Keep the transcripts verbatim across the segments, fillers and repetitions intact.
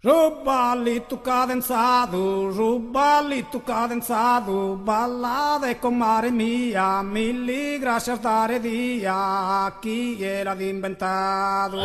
Su ballitu cadenzadu, su ballitu cadenzadu, ballade comare mia, milli grascias dare dia, chie l'at imbentadu.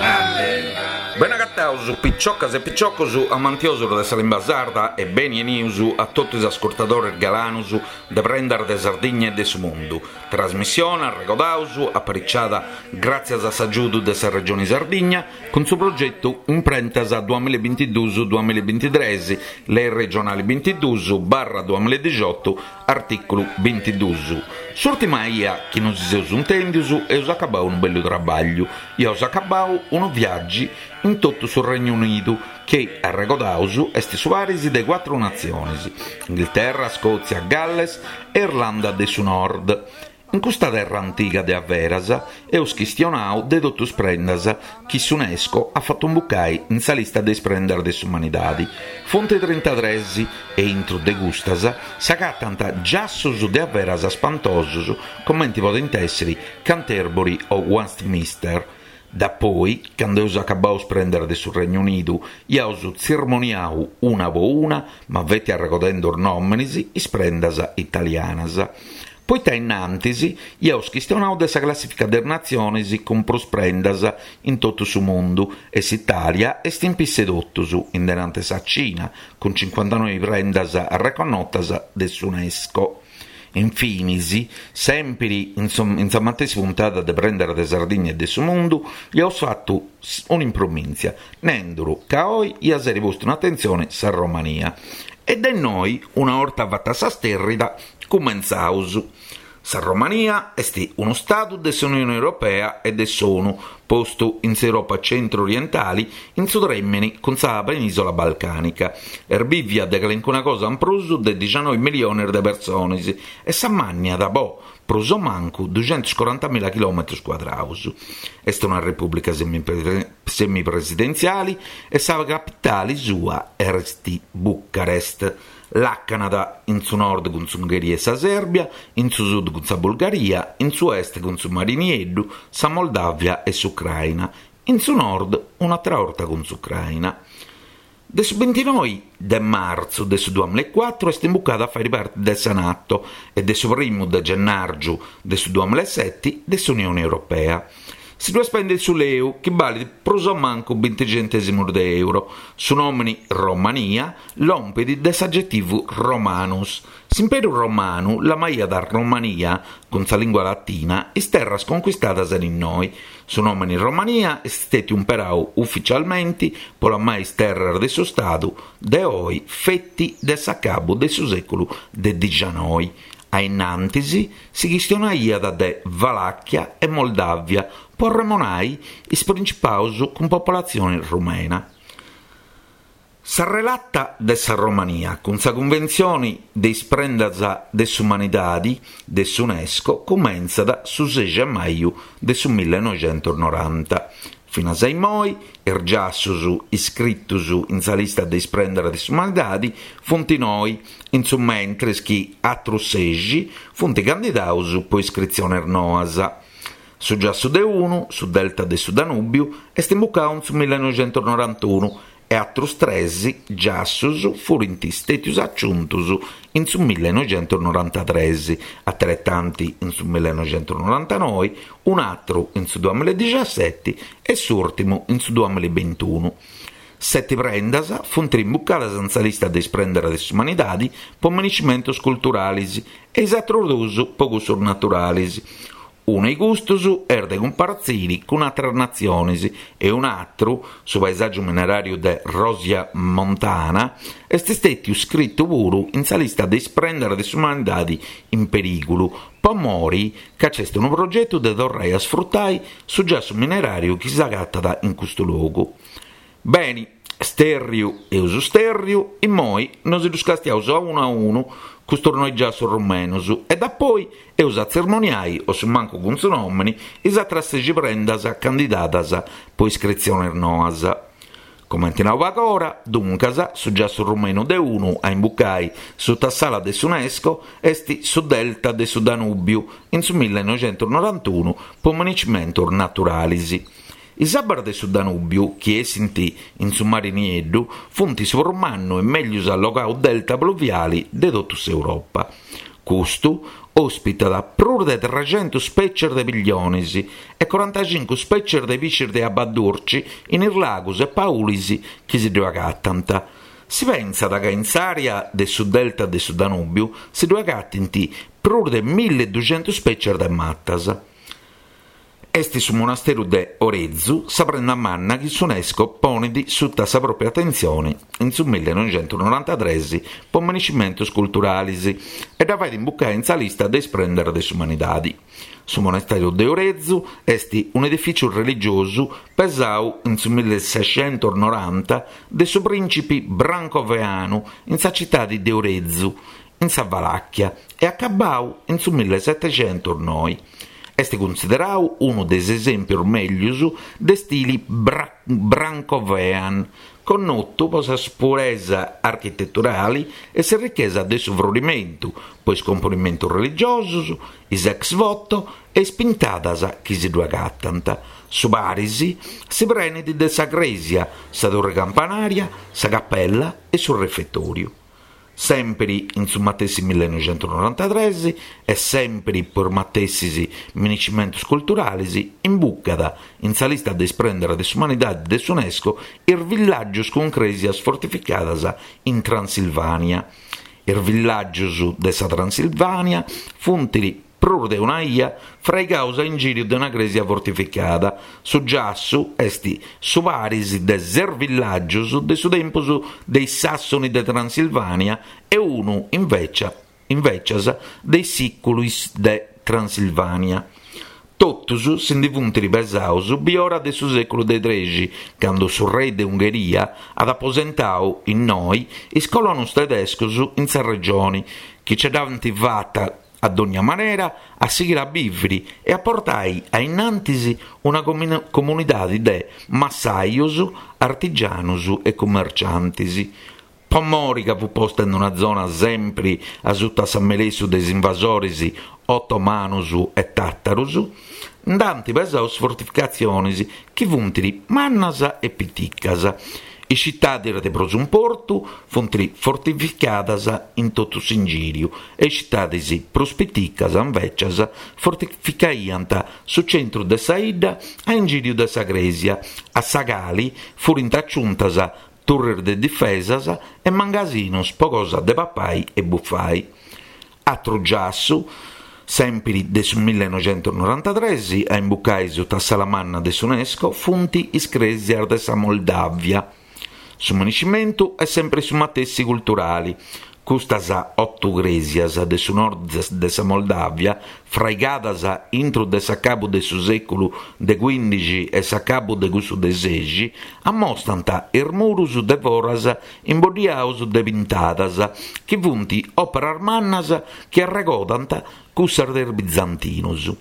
Bene agataus piciocas e piciocos amantiosos de sa limba sarda e beni 'enius a totu is ascurtadores galanus de Prendas de Sardigna e de su Mundu. Trasmissione, arregodaus, apariciada gràtzias a s'agiudu de sa Regioni Sardigna cun su progetu Imprentas duamilla e bintiduus duamilla e bintitres, Lei regionali bintiduus barra duamilla e dixiotu, artìculu bintiduus. S'ùrtima 'ia chi nosi seus intèndius eus acabau unu bellu trabagliu, iaus acabau unu viàgiu in totu su Regnu Unidu, chi, arregodaus, est su paris de cuatru natziones, Inghilterra, Scòtzia, Galles e Irlanda de su Nord. In custa terra antiga de averas eus chistionau de totu is prendas chi s'UNESCO at fatu imbucai in sa lista de is prendas de s'umanidadi. Funt trintatres e intru de custas s'agatant giassus de averas spantosus comenti podent èssiri Canterbury o Westminster. Dapoi, candu eus acabau is prendas de su Regnu Unidu, iaus tzirmoniau una po una, ma feti arregodendu is nòmenes, is prendas italianas. Poita innantis iaus chistionau de sa classifica de is natziones cun prus prendas in totu su mundu e s'Italia est in pisse totus, in denante sa Cina, cun cincuantanoi prendas arreconnotas de s'UNESCO. Infinis, sèmpiri in sa matessi puntada de Prendas de Sardigna e de su Mundu, iaus fatu un'impromìntzia, nenduru ca oi iat èssiri postu in atentzione sa Romania. E de innoi, una 'orta fata sa stèrrida, cumentzaus. Sa Romania est unu stadu de s'Unione Europea e de s'ONU, postu in s'Europa centru-orientali, in su trèmini cun sa penìsola balcànica. Est bìvia de calincuna cosa in prus de dixanoi miliones de persones e s'ammànniat po prus o mancu duxentuscorantamila chilòmetros cuadraus. Est una repùblica semipresidentziali e sa capitali sua est Bucarest. Làcanat in su nord cun s'Ungheria e sa Sèrbia, in su sud cun sa Bulgaria, in su est cun su Mari Nieddu, sa Moldàvia e s'Ucraina, in su nord un'àtera 'orta cun s'Ucraina. De su bintinoi de martzu de su duamilla e cuatru est imbucada a fàere parte de sa Nato e de su primu de gennàrgiu de su duamilla e seti de s'Unione Europea. Si ddu spendit su leu, chi balit prus o mancu binti centèsimus de euro. Su nòmini Romania lompit de s'agetivu Romanus. S'Imperu Romanu lamaiat Romania, cun sa lìngua latina, is terras conquistadas in innoi. Su nòmini Romania est stètiu imperau ufficialmenti po lamai is terras de su Stadu de oi feti de s'acabu de su sèculu de dixanoi. A innantis si chistionaiat de Valàchia e Moldàvia po arremonai is principaus cun popolatzione rumena. Sa relata de sa Romania cun sa Cunventzione de is Prendas de s'Umanidadi de s'UNESCO cumentzat su sexi de maju de su millenoixentusnoranta. Finas a immoi, is giassus iscritus in sa lista de is prendas de s'umanidadi funt noi, in su mentres chi atrus sexi funt candidaus po iscritziones noas. Su giassu de unu, su delta de su Danùbiu, est imbucau in su millenoixentusnorantunu e atrus tres giassus furint stètius aciuntus in su millenoixentusnorantatres, ateretanti in su millenoixentusnorantanoi, un'atru in su duamilla e dixaseti e s'ùrtimu in su duamilla e bintunu. Seti prendas funt imbucadas in sa lista de is prendas de s'umanidadi po miniscimentos culturales e is atrus duus po cussus naturales. Unu 'e custus est de cumpartziri cun atras natziones e un'atru, su paesàgiu mineràriu de Rosia Montana, est stètiu scritu puru in sa lista de is prendas de s'umanidadi in perìgulu, po mori ca c'est unu progetu de torrai a sfrutai su giassu mineràriu chi s'agatat in custu logu. Beni, stèrriu eus stèrriu, immoi nosi ddus castiaus a unu a unu custus noi giassus rumenus e dapoi eus a tzermoniai, o su mancu cun su nòmini, is atras sexi prendas candidadas po iscritziones noas. Comenti nau pagora, duncas, su giassu rumenu de unu a imbucai suta s'ala de s'UNESCO est su delta de su Danùbiu in su millenoixentusnorantunu po municimentos naturales. Is abbas de su Danùbiu, chi essint in su Mari Nieddu, funt su prus mannu e mellus allogau delta pluviali de totu s'Europa. Custu ospitat prus de trecentus spècies de pillionis e corantacincu spècies de piscis de abba durci in is lagus e paulis chi si ddu agatant. Si pensat ca in s'àrea de su delta de su Danùbiu si ddu agatint prus de milleduxentus spècies de matas. Est su monasteru de Horezu sa prenda manna chi s'UNESCO ponet sutta sa pròpia atentzione in su millenoixentusnorantatrès po meniscimentos culturales e dda fait imbucare in sa lista de is prendas de s'umanidade. Su monasteru de Horezu est un'edifìtziu religiosu pesadu in su milleseicentusnoranta de su prìncipe Brancoveanu in sa tzitade de Horezu, in sa Valàchia, e acabadu in su millesetexentusnoe. Est cunsideradu unu de is esèmpios mègius de stile bra- Brancovean, connotu pro sa puresa architeturale e sa richesa de su frorimentu, pro is componimentos religiosos, is ex voto e is pintadas chi si ddu agatant. Su paris si prenet de sa crèsia, sa torre campanaria, sa cappella e su refetòriu. Sempre in su matessi millenoixentusnorantatrès e sempre pro is matessis meniscimentos culturales, imbucat in sa lista de is prendas de s'umanidade de s'UNESCO is villàgios cun crèsias fortificadas in Transilvània. Is villàgios de sa Transilvània funt prus de una ia fraigados a ingìriu de una crèsia fortificada. Su giassu est su paris de ses villàgios de su tempus de is Sàssoni de Transilvània e unu, invece, invecias, de is Sìculis de Transilvània. Totus si ndi funt pesados biora de su sèculu de trexi, cando su rei de Ungheria at aposentadu innoi is colonos tedescos in sa regione, chi ce dd'ant fata a dogna manera a sighire a bìvere e a portare a innantis una comunidade de massajos, artigianos e commerciantes. Po mori ca fu posta in una zona sempre a sutta s'ammelessu de is invasores otomanos e tàtaros, nd'ant pesadu fortificatziones chi funt mannas e piticas. Is citades de prus importu funt fortificadas in totu s'ingìriu e is citades prus piticas, invecias, fortificaiant su centru de sa 'idda a ingìriu de sa crèsia, a sa cali furint aciuntas turres de difesas e mangasinos po cosa de papai e bufai. Atru giassu, sempre de su millenoixentusnorantatrès, a imbucai sutta sa manna de s'UNESCO, funt is crèsias de sa Moldàvia. Su meniscimentu est sempre su matessi culturale. Custas oto crèsias de su nord de sa Moldàvia, fraigadas intro de s'acabu de su sèculu de quindixi e s'acabu de cussu de sexi, ammostant is muros de foras imboddiados de pintadas, chi funt òperas mannas chi arregodant cussas de is bizantinos.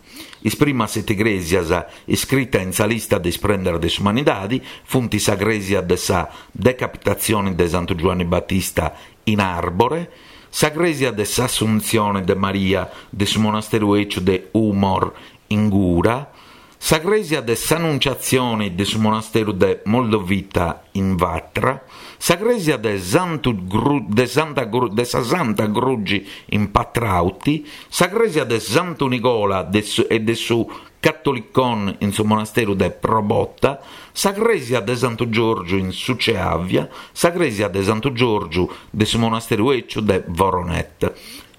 Is primas sete crèsias iscritas in sa lista de is prendas de s'umanidade funt sa crèsia de sa decapitatzione de Santu Giuanni Battista in Arbore, sa crèsia de s'Assuntzione de Maria de su monasteru Eciu de Humor in Gura, sa crèsia de s'Annunciatzione de su monasteru de Moldovita in Vatra, sa crèsia de, Santu Gru, de, Santa Gru, de sa Santa Grugi in Patrauti, sa crèsia de Santu Nicola de su, e de su Catholicon in su monasteru de Probota, sa crèsia de Santu Giorgio in Suceavia, sa crèsia de Santu Giorgio de su monasteru Eciu de Voronet.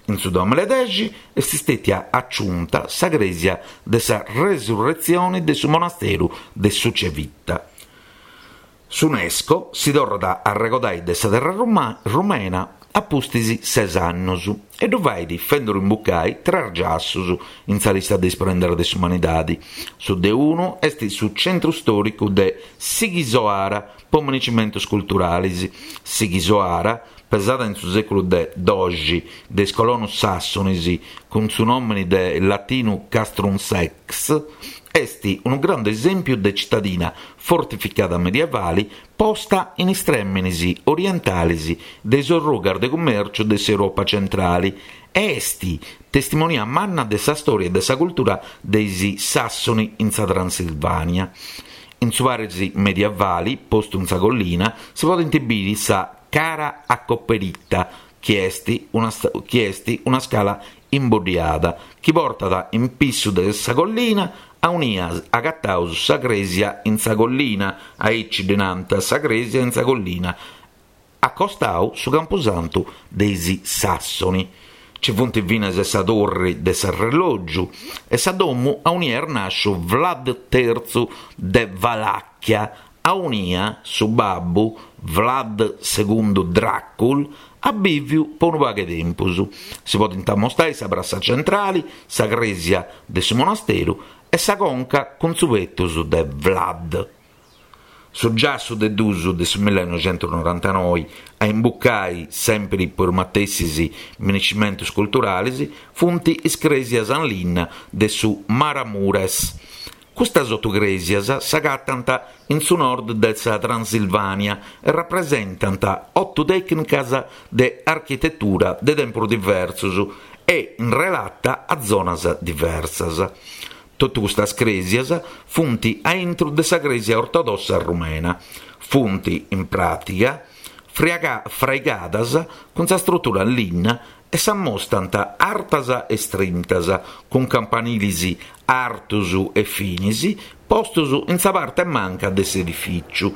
In su duamiladexi est stètia aciunta sa crèsia de sa Resurretzione de su monasteru de Sucevita. S'UNESCO si torrat a arregodai de sa terra ruma, rumena a pustis ses annos e ddu fait fenduru imbucai tres giassos in sa lista de is prendas de s'umanidade. Su de unu est su centru stòricu de Sighisoara po meniscimentos culturales. Sighisoara, pesada in su sèculu de doxi de is colonos sàssones cun su nòmine de latinu Castrum Sex, est unu grande esèmpiu de cittadina fortificada medievale posta in is trèmenes orientales de is orrugas de cumèrciu de s'Europa centrale e est testimonia manna de sa stòria e de sa cultura de is Sàssoni in sa Transilvània. In su paris medievali, postu in sa collina, si podent bìdere sa Cara Acoperita, chi est una, chi est una scala imboddiada, chi portat in pissu de sa collina aunia agataus sa crèsia in sa collina, aici ddi nant sa crèsia in sa collina, acostau su Campusantu de is Sassoni. Ci funt finas sa torri de s'arrelògiu e sa domu aunia est nàsciu Vlad terzu de Valacchia, aunia su babbu Vlad segundu Dracul at bìviu po unu pagu 'e tempus. Si podent ammostare sa prassa centrale, sa crèsia de su monasteru e sa conca cun su petus de Vlad. Su giassu de dusu de su millenoixentusnorantanoi a imbucai sempri po is matessis minescimentus culturales funt is crèsias in linna de su Maramures. Custas otu crèsias s'agatant in su nord de sa Transilvània e rapresentant otu tècnicas de architetura de tempos diversos e in relata a zonas diversas. Totu custas crèsias funt a intro de sa crèsia ortodossa rumena. Funt, in pràtica, fraigadas cun sa struttura in linna e s'ammostant artas e strintas, cun campanilis artos e finis, postos in sa parte manca de s'edifìtziu.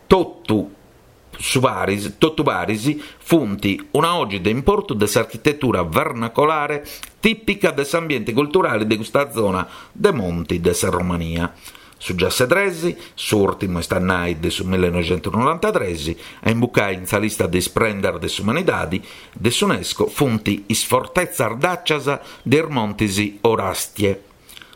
Totu su paris, totu paris funt una oggi de importu de s'architetura vernacolare tìpica de s'ambiente culturale de custa zona de monti de sa Romania. Su giasse tres, s'ùrtimu est a nai de su millenoixentusnorantatres, a imbucai in sa lista de is prendas de s'umanidade de s'UNESCO funt is fortetzas dàcias de is Montes Orastie.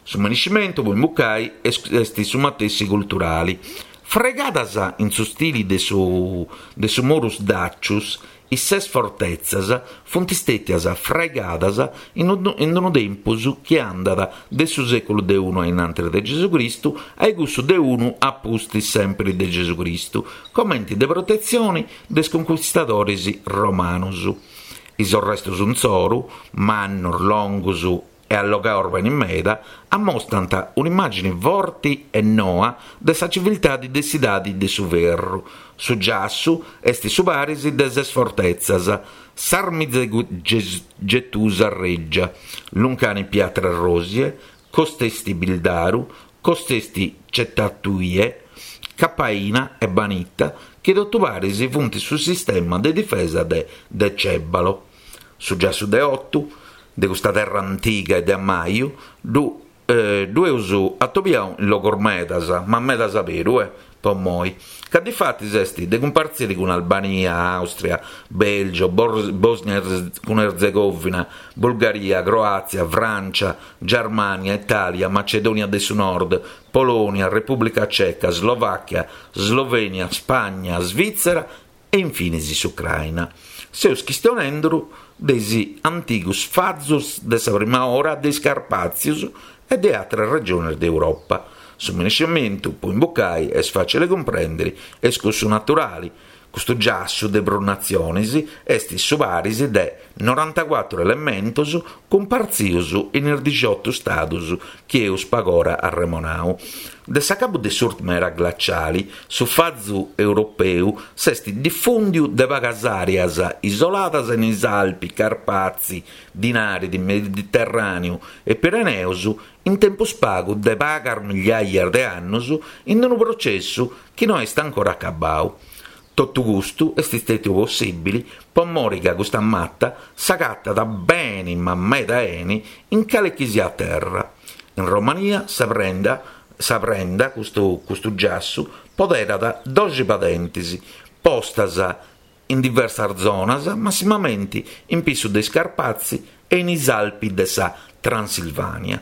Su minescimentu po imbucai est su matessi culturale. Fraigadas in su stile de su, de su Murus Dacius, is ses fortetzas funt stètias fraigadas in unu, in unu tempus chi andat de su sèculu de unu a innantis de Gesù Cristu a cussu de unu a pustis sempre de Gesù Cristu, comente de protetzione de is conquistadores romanos. Is arrestos insoru, mannos, longos e allogados bene meda, ammostant un'immagine forte e noa de sa civiltade de s'idade de su ferru. Su giassu est su paris de ses fortetzas, Sarmizegetusa Regia, Luncani Piatra Rosie, Costesti Bildaru, Costesti Cetatuie, Capaina e Banita, chi totu paris funt su sistema de difesa de Decebalo. Su giassu de otu, de custa terra antiga e de ammaju, ddu, eh, ddu eus atobiau in logos medas, ma medas aberu, eh, po moi. Ca difatis est de cumpartziri cun Albania, Austria, Belgio, Bosnia cun Erzegovina, Bulgaria, Croazia, Francia, Germania, Italia, Macedonia de su Nord, Polonia, Repubblica Ceca, Slovacchia, Slovenia, Spagna, Svizzera e infine s'Ucraina. Seus chistionendu de is antigos fazos de sa prima ora de is Carpàtzios e de altre regiones d'Europa. Su minescimentu, po imbucai, est facile comprendere, est cussu naturale. Custu giassu de prus natziones est su paris de norantacuatro elementos cumpartzios in is diciotto stados chi eus pagora arremonau. De s'acabu de s'ùrtima era glaciale, su fazu europeu s'est diffùndiu de pagas àreas isoladas in is Alpi, Carpazi, Dinaridi, Mediterràneu e Pireneus in tempus pagu de pagas migliaia de annos in unu processu chi no est ancora acabau. Totu custu est stètiu possibile po mori ca custa mata s'agatat beni ma meda 'eni in cale chi sia terra. In Romania sa prenda, sa prenda custu, custu giassu, poderat doxi padentes postas in diversas zonas, massimamente in pissu de is Carpazi e in is Alpi de sa Transilvania.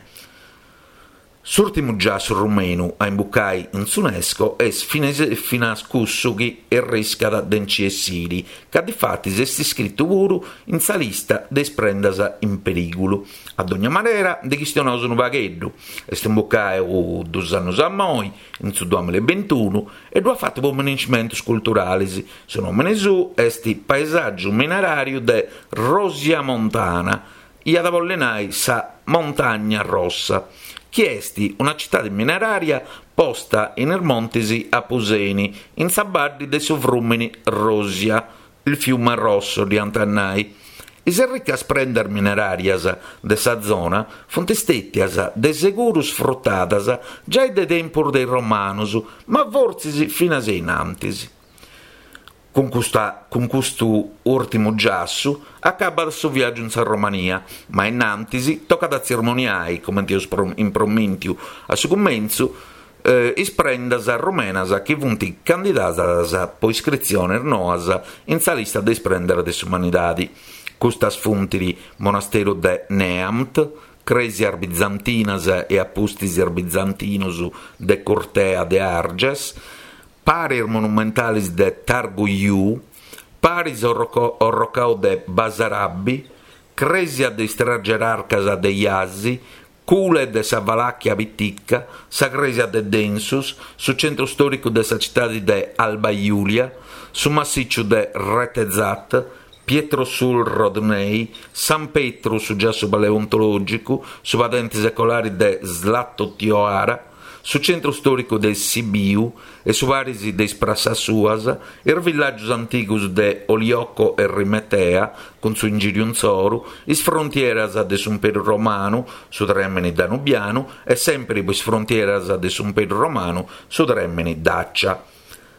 S'ùrtimu giassu rumenu a imbucai in s'UNESCO est finas cussu chi arriscat de nci essiri, ca difatis est iscritu puru in sa lista de is prendas in perìgulu. A dogna manera, ndi chistionaus unu pagheddu. Est imbucau dus annos a moi, in su duamilla e bintunu, e ddu at fatu po minescimentos culturales. Su nòmene suo est Paesàgiu mineràriu de Rosia Montana, iat a bolli nai sa Montagna Rossa. chi est una citade mineraria posta in is montes Apuseni, in sa badde de su frùmene Rosia, il fiume rosso diant a nai. Is ricas prendas minerarias de sa zona funt istètias de seguru sfrutadas giai de tempus de is Romanos, ma fortzis finas in antis. Cun, custa, cun custu ùrtimu giassu acabat su viàgiu in sa Romania, ma in antis tocat a tzirmoniai, comente eus impromìntiu a su cumentzu, eh, is prendas rumenas chi funt candidadas po iscritziones noas in sa lista de is prendas de s'umanidade. Custas funt monasteru de Neamt, crèsias bizantinas e a pustis bizantinos de Curtea de Arges, paris monumentales de Targu Jiu, paris orrocau de Basarabi, crèsia de is tres gerarcas de Iasi, Cule de sa Valacchia Pitica, sa crèsia de Densus, su centru stòricu de sa citade de Alba Iulia, su massìciu de Retezat, Pietrosul Rodnei, San Petru, su giassu paleontològicu, su padente secolare de Zlatotioara, su centru stòricu de Sibiu e su paris de is prassas suas, is villàgios antigos de Olioco e Rimetea, cun su ingìriu intzoru, is frontieras de s'Imperu Romanu, su trèmene danubianu, e sempre is frontieras de s'Imperu Romanu, su trèmene Dacia.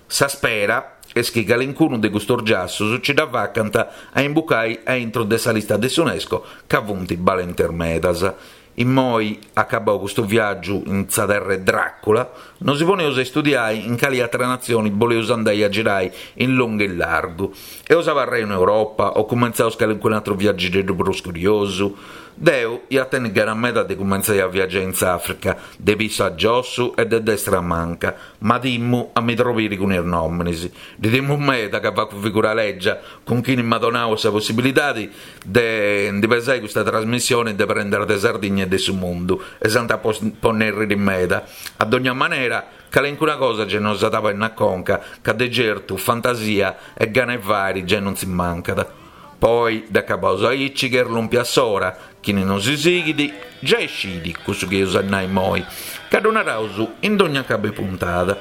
Sa spera est chi calincunu de custos giassos ci dda facant a imbucai a intro de sa lista de s'UNESCO ca funt balentes medas. Immoi, acabau custu viàgiu in sa terra 'e Dracula, nos poneus a studiai in cali atra natzione boleus andai a girai in longu e largu. Eus abarrai in Europa o cumentzaus calincunu atru viaggieddu prus curiosu? Deu ia tenni gana meda de cumentzai a viaggiai in s'Africa, de pissu a giossu e de destra a manca, ma timmu a mi trobiri cun is nòminis. Ddi timmu meda ca facu figura lègia cun chini m'at donau sa possibilidade de ndi pesai custa trasmissione de prendas de Sardigna e de su mundu e s'ant a ponnèrriri meda. A dogna manera, calincuna cosa già nos at a na conca, ca de certu fantasia e gana 'e fari già non si mancat. Poi, dd'acabaus aici che erlumpia s'ora, chini non si sighit, già scidi cussu chi eus a nai immoi, ca ddu naraus in dogna acabu 'e puntada.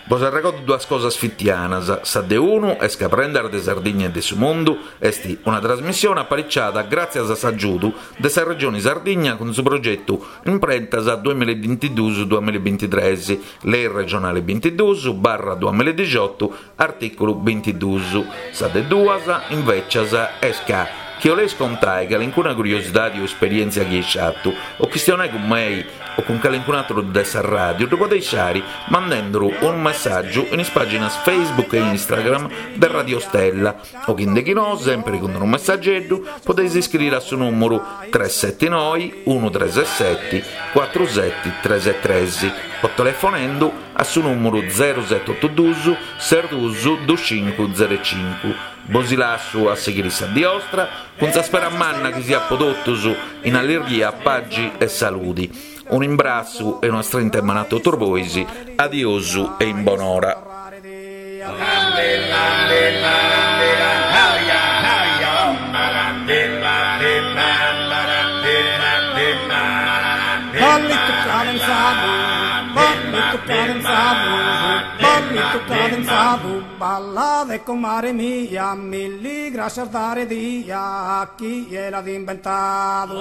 Bos arregodo duas cosas fitianas. Sa de unu est ca Prendas de Sardigna e de su Mundu est una trasmissione apariciada gràtzias a s'agiudu de sa Regione Sardigna cun su progetu Imprentas duamilla e bintiduus duamilla e bintitrès, Lei regionale bintiduus barra duamilla e dixiotu, artìculu bintiduus. Sa de duas, invecias, est ca chi 'oleis contai calincuna curiosidade o esperièntzia chi eis fatu o chistionai cun mei o cun calincun atru de sa ràdiu, ddu podeis fari mandenduru unu messàgiu in is pàginas Facebook e Instagram de Radio Stella o chi no, sempre cun unu messageddu, podeis iscriri a su nùmeru tres sette nove uno tre sette quattro sette tre tre o telefonendo a su nùmeru zero sette otto due sei due due cinque zero cinque. Bos lassu a sighiri sa die 'ostra cun sa spera manna chi siat po totus in allegria, pagi e saludi. Un imbrassu e una strinta 'e manu a totus bois. Adiosu e in bonora. Ballito cadenzado, ballito cadenzado, ballito cadenzado, balla de comare mia, milli gracias dare dia a chi l'ha inventado.